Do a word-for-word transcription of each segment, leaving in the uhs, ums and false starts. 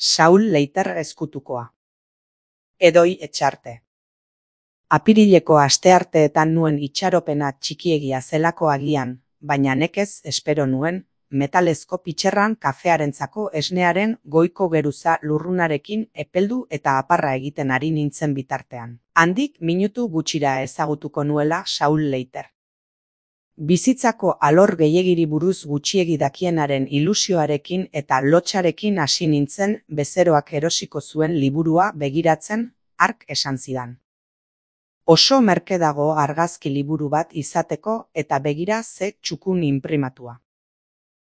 Saul Leiter ezkutukoa. Edoi Etxarte. Apirileko astearteetan nuen itxaropena txikiegia zelako agian, baina nekez espero nuen, metalezko pitxerran kafearentzako esnearen goiko geruza lurrunarekin epeldu eta aparra egiten ari nintzen bitartean. Handik minutu gutxira ezagutuko nuela Saul Leiter. Bizitzako alor gehiegiri buruz gutxiegi dakienaren ilusioarekin eta lotxarekin hasi nintzen bezeroak erosiko zuen liburua begiratzen, hark esan zidan. Oso merke dago argazki liburu bat izateko eta begira ze txukun inprimatua.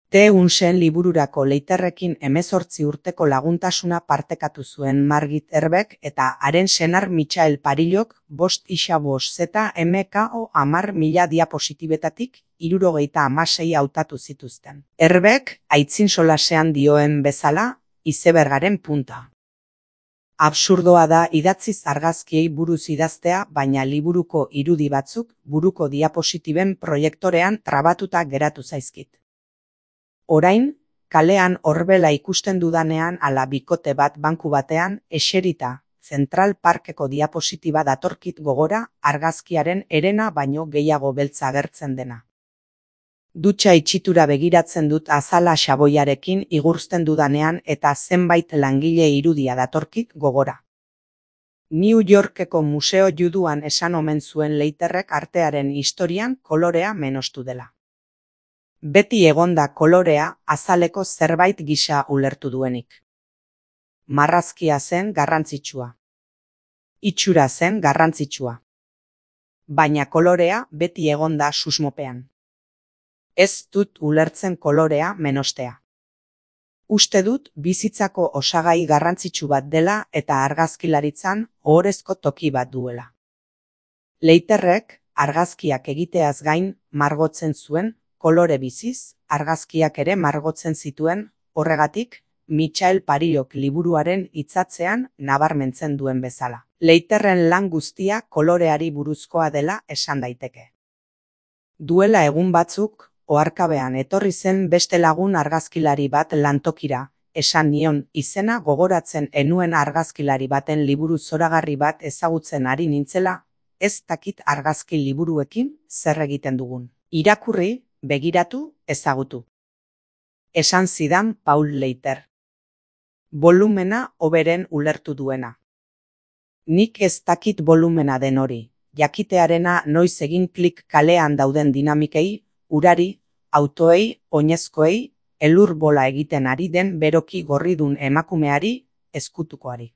Te Unsen libururako Leiterrekin hemezortzi urteko laguntasuna partekatu zuen Margit Herbek eta haren senar Michael Parillok bost isa bost zeta M K O hamar mila diapositibetatik hirurogeita hamasei hautatu zituzten. Herbek, aitzin solasean dioen bezala, izebergaren punta. Absurdoa da idatziz argazkiei buruz idaztea, baina liburuko irudi batzuk buruko diapositiben proiektorean trabatuta geratu zaizkit. Orain, kalean horbela ikusten dudanean ala bikote bat banku batean, eserita, Central Parkeko diapositiba datorkit gogora argazkiaren herena baino gehiago beltza agertzen dena. Dutxa itxitura begiratzen dut azala xaboiarekin igurzten dudanean eta zenbait langile irudia datorkit gogora. New Yorkeko Museo Juduan esan omen zuen Leiterrek artearen historian kolorea menostu dela. Beti egonda kolorea azaleko zerbait gisa ulertu duenik. Marrazkia zen garrantzitsua. Itxura zen garrantzitsua. Baina kolorea beti egonda susmopean. Ez dut ulertzen kolorea menostea. Uste dut bizitzako osagai garrantzitsu bat dela eta argazkilaritzan ohorezko toki bat duela. Leiterrek argazkiak egiteaz gain margotzen zuen, kolore biziz, argazkiak ere margotzen zituen, horregatik, Michael Parillok liburuaren hitzatzean nabarmentzen duen bezala. Leiterren lan guztia koloreari buruzkoa dela esan daiteke. Duela egun batzuk, oharkabean etorri zen beste lagun argazkilari bat lantokira, esan nion izena gogoratzen enuen argazkilari baten liburu zoragarri bat ezagutzen ari nintzela, ez dakit argazki liburuekin zer egiten dugun. Irakurri, begiratu, ezagutu. Esan zidan Paul Leiter. Volumena hoberen ulertu duena. Nik ez dakit volumena den hori, jakitearena noiz egin klik kalean dauden dinamikei, urari, autoei, oinezkoei, elur bola egiten ari den beroki gorridun emakumeari, ezkutukoari.